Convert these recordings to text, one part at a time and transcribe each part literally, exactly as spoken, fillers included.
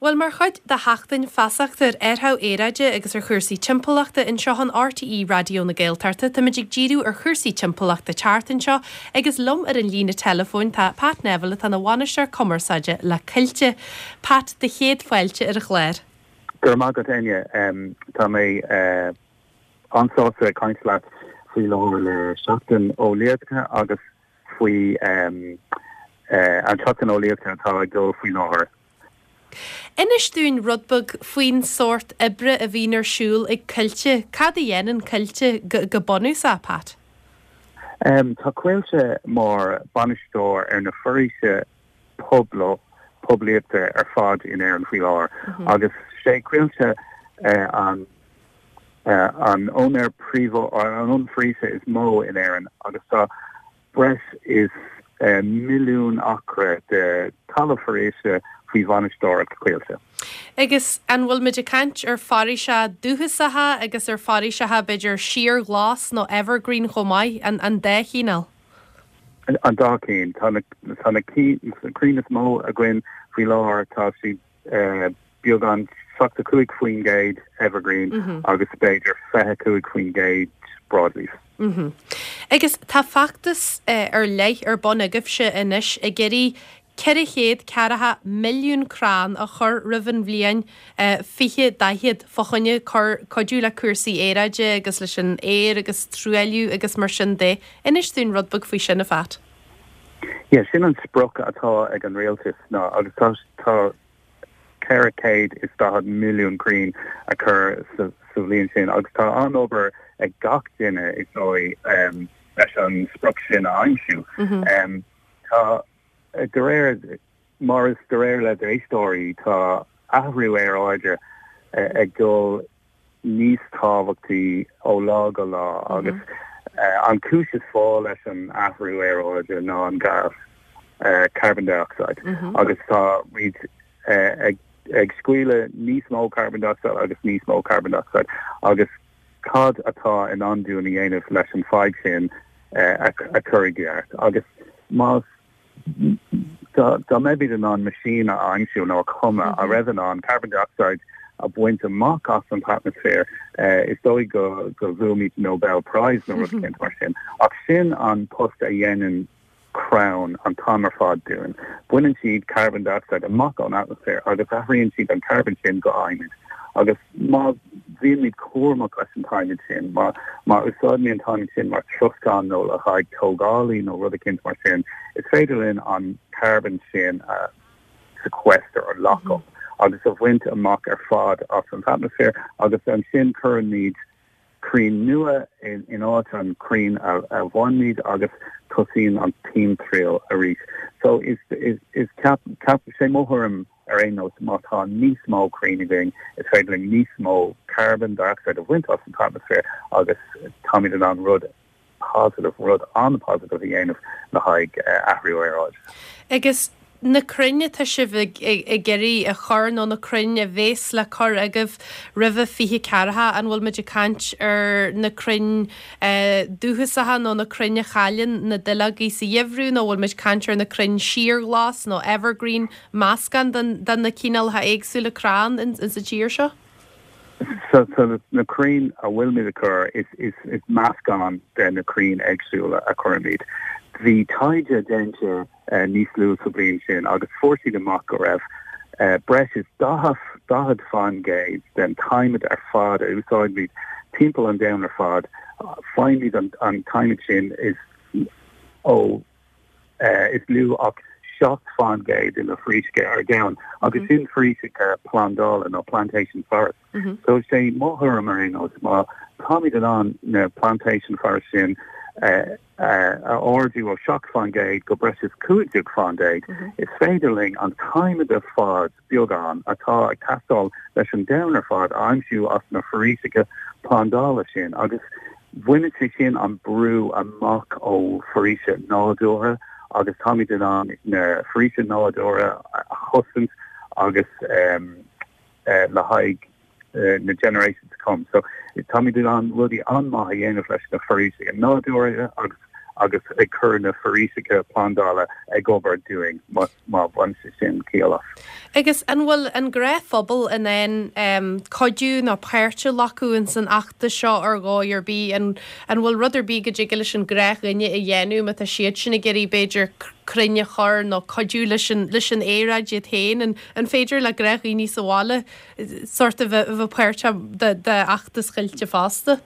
Bhuel mar chuid de sheachtain feasachta ar athrú aeráide agus ar chúrsaí timpeallachta anseo in RTÉ Raidió na Gaeltachta, Táimid ag díriú ar chúrsaí timpeallachta tseachtain seo agus liom ar an líne telefóin tá Pat Neville atá ina bhainisteoir cumarsáide le Coillte. Pat do chéad fáilte ar an chlár. Gur maith agat Enya tá mé uh, an-sásta caint leat faoi láthair le seachtain eolaíochta agus faoi um, uh, an tseachtain eolaíochta atá ag dul faoi láthair. Inis dúinn rud beag faoin sórt oibre a bhíonn ar siúl ag Coillte, Cad a dhéanann Coillte go, go bunúsach Pat? Um, tá Coillte mar bainisteoir ar na foraoise pobl poiblíochta ar fad in Éirinn faoi láthair mm -hmm. agus sé Coillte uh, an uh, an úinéir príomh an an foraoise is mó in Éirinn agus tá breis is uh, milliún acra de talamh foraoise faoi bhainisteoireacht Coillte. Agus an bhfuil muid ag caint ar foraoise dúchasacha agus ar foraoiseacha b'fhéidir síorghlas nó evergreen chomh maith an an dá chineál. An dá cinn tá na crainn is mó againn faoi láthair tá siad uh, beagán seachtó cúig faoin gcéad evergreen mm -hmm. agus b'fhéidir fiche cúig faoin gcéad broadleaf. Mm -hmm. Agus tá feachtas uh, ar leith ar bun agaibhse anois ag iarraidh ceithre chéad ceathracha milliún crann a chur roimh an bhliain uh, fiche daichead fá choinne cuidiú le cúrsaí aeráide agus leis an aer agus truailliú agus mar sin de. Inis dúinn rud beag faoi sin a Phat. Ja, sin an sprioc atá ag an rialtas ná agus tá tá ceithre chéad is daichead milliún crann a chur sa bhliain sin agus tá an-obair ag gach duine is dóigh um, leis an sprioc sin a aimsiú. Mm -hmm. um, tá de réir mar is de réir le d'éisteoirí tá athrú aeráide ag dul níos tábhachtaí ó lá go lá mm -hmm. agus uh, an cúis is fáth leis an athrú aeráide ná an gas uh, carbon dioxide mm -hmm. agus tá muid uh, ag ag scaoileadh níos mó carbon dioxide agus níos mó carbon dioxide agus cad atá in ann dúinn a dhéanamh leis an fadhb sin uh, a, a chur i gceart agus más dá mbeimid in ann machine a aimsiú nó a chumadh a raibh in ann carbon dioxide a bhaint amach as an atmaisféar uh, is dóigh go go bhfuair Nobel Prize nó rud mm mar sin ach sin an post a dhéanann crann an t-am ar fad dúinn. Baineann siad carbon dioxide amach ón atmaisféar agus athraíonn siad an carbon sin go adhmad. Agus má bhímid cúramach leis an t-adhmad sin, má má úsáidimid an t-adhmad sin mar troscán nó le haghaidh tógálaí nó rud éicint mar sin, is féidir linn an carbon sin a sequester or lock up mm -hmm. agus a bhaint amach ar fad as an atmaisféar agus ansin cuirimid crainn nua in, in áit an crainn a, a bhainimid agus tosaíonn an timthriall arís. So is is is cap cap sé mo thuairim ar aon nós má tá níos mó crainn againn is féidir linn níos mó carbon dioxide a bhaint as an atmaisféar agus táimid in ann rud positive rud an-positive a dhéanamh le haghaidh uh, athrú aeráide. Agus na crainn atá sibh ag iarraidh a chur nó na crainn a bheas le cur agaibh roimh fiche ceathracha an bhfuil muid ag caint ar na crainn dúchasacha nó na crainn a chailleann na duilleogaí sa gheimhreadh nó bhfuil muid caint ar na crainn síorghlas nó evergreen meascán den na cineálacha éagsúla crann in sa tír seo? So, so na crainn a bhfuilimid a chur is, is, is meascán de na crainn éagsúla a chuirimid. Bhí taighde déanta uh, níos luaithe sa bhliain sin agus fuair siad amach go raibh uh, breis is daichead faoin gcéad den t-adhmad ar fad a úsáidimid timpeall an domhain ar fad faighimid an, an t-adhmad sin is ó uh, is lú ach seacht faoin gcéad de na foraoiseacha ar domhan agus mm -hmm. sin foraoiseacha plandála nó plantation forest. Mm -hmm. So sé mo thuairim ar aon nós má táimid in ann na plantation forest sin uh, uh, a ardú ó seacht faoin gcéad go breis is cúig déag faoin gcéad mm -hmm. is féidir linn an t-adhmad ar fad beagán atá ag teastáil leis an domhan ar fad aimsiú as na foraoiseacha plandála sin agus baineann sé sin an brú amach ó foraoise nádúrtha agus táimid in ann na foraoise nádúrtha a chosaint agus um, uh, le haghaidh uh, na generations to come. So táimid in ann rudaí an-mhaith a dhéanamh leis na foraoise nádúrtha agus agus ag cur na foraoiseacha plandála ag obair dúinn má má bhain sé sin ciall as. Agus an bhfuil an gnáthphobal in ann um, cuidiú nó páirt a ghlacadh in san fheachtas seo ar dhóigh ar bith an an bhfuil rud ar bith go dtig leis an ngnáthdhuine a dhéanamh má tá siad sin ag iarraidh b'fhéidir crainn a chur nó cuidiú leis an leis an aeráid iad féin an an féidir le gnáthdhaoine sa bhaile sort of a bheith páirt de de fheachtas Choillte fosta?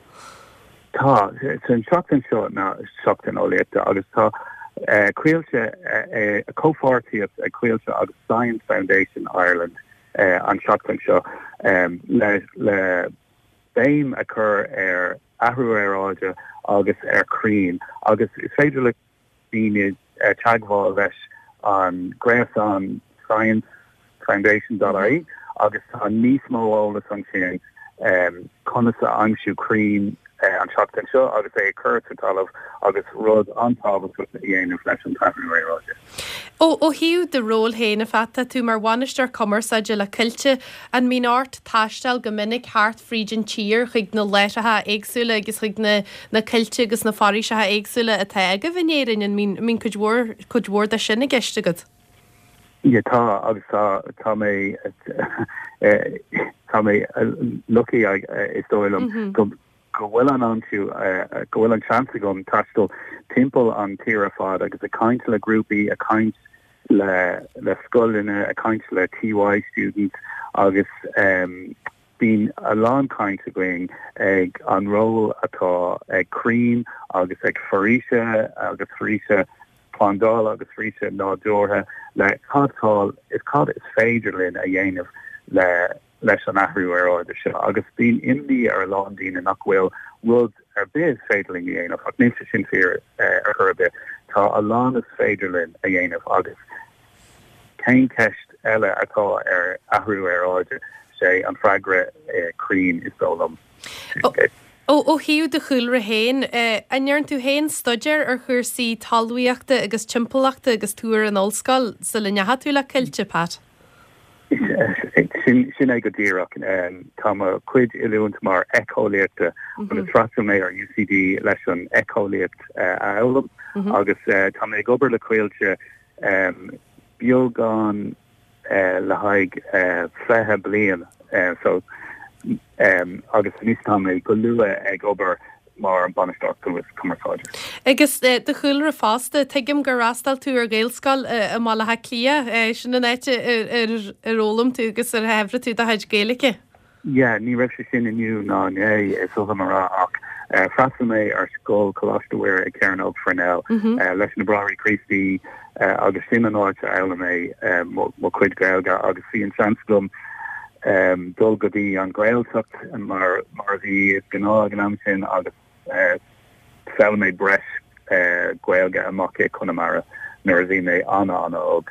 Tá an seachtain seo ná seachtain eolaíochta agus tá uh, Coillte uh, comhpháirtíocht ag Coillte agus Science Foundation Ireland uh, an seachtain seo um, le le béim a chur ar athrú aeráide agus ar crainn agus is féidir le daoine uh, teagmháil leis an gréasán Science Foundation.ie agus tá níos mó eolas ansin um, conas a aimsiú crainn uh, an seachtain seo agus é chur sa talamh agus rud an-tábhachtach a dhéanamh leis an athrú aeráide. Ó ó thaobh do ról féin a Phat tú mar bhainisteoir cumarsáide le Coillte an mbíonn ort taisteal go minic thart fríd an tír chuig na láithreacha éagsúla agus chuig na na coillte agus na foraoiseacha éagsúla atá agaibh in Éirinn an mbíonn mbíonn cuid mhór cuid mhór de sin i gceist agat. Ja tá agus tá tá mé tá mé lucky is dóigh liom go go bhfuil an an tú go bhfuil an chance agam taisteal timpeall an tír ar fad agus ag caint le grúpaí ag caint le le scoileanna ag caint le TY students agus um, bíonn a lán caint againn ag an ról atá ag crainn agus ag foraoise agus foraoise plandála agus foraoise nádúrtha le cad is cad is féidir linn a dhéanamh le leis an athrú aeráide seo agus bíonn imní ar a lán daoine nach bhfuil rud ar bith is féidir linn a dhéanamh ach níl sé sin fíor ar chor ar bith tá a lán is féidir linn a dhéanamh agus cén ceist eile atá ar athrú aeráide sé an freagra crainn is dóigh liom. Ó ó thaobh do chúlra féin, an ndearna tú féin staidéar ar chúrsaí talmhaíochta agus timpeallachta agus tú ar an ollscoil sula ndeachaigh tú le Coillte Pat? sin sin é go díreach tá mo chuid oiliúint mar éiceolaíochta agus d'fhreastail mé ar UCD leis an éiceolaíocht a fhoghlaim agus tá mé ag obair le Coillte beagán le haghaidh fiche bliain so agus anois tá mé go luath ag obair mar an bainisteoir cumarsáide. Agus do chúlra fosta tuigim gur fhreastail tú ar Ghaelscoil i mBaile Átha Cliath sin an áit ar ar fhoghlaim tú agus ar shaibhrigh tú do chuid Gaeilge. Ja, ní raibh sé sin inniu ná inné is oth mar ach d'fhreastail mé ar scoil Coláiste Mhuire ag Cearnóg Parnell leis na Bráithre Críostaí agus sin an áit a fhoghlaim mé mo chuid Gaeilge agus bhí an seans agam um, dul go dtí an Ghaeltacht mar mar bhí is gnáth ag an am sin agus d'fhoghlaim mé breis Gaeilge amach i Conamara nuair a bhí mé an-an-óg.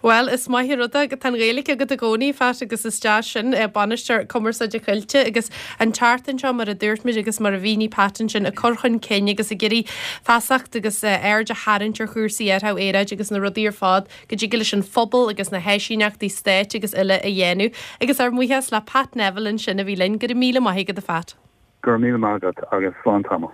Well, is maith rud go tá an Ghaeilge agat i gcónaí Pat agus is deas sin bainisteoir cumarsáide Coillte agus an tseachtain seo mar a dúirt muid agus mar a mhínigh Pat ansin ag cur chun cinn agus ag iarraidh feasacht agus aird a tharraingt ar chúrsaí athrú aeráide agus na rudaí ar fad go dtig leis an phobal agus na háisíneachtaí stáit agus uile a dhéanamh agus ár mbuíochas le Pat Neville ansin a bhí linn go raibh míle maith agat a Phat. Gur míle maith agat agus slán tamall.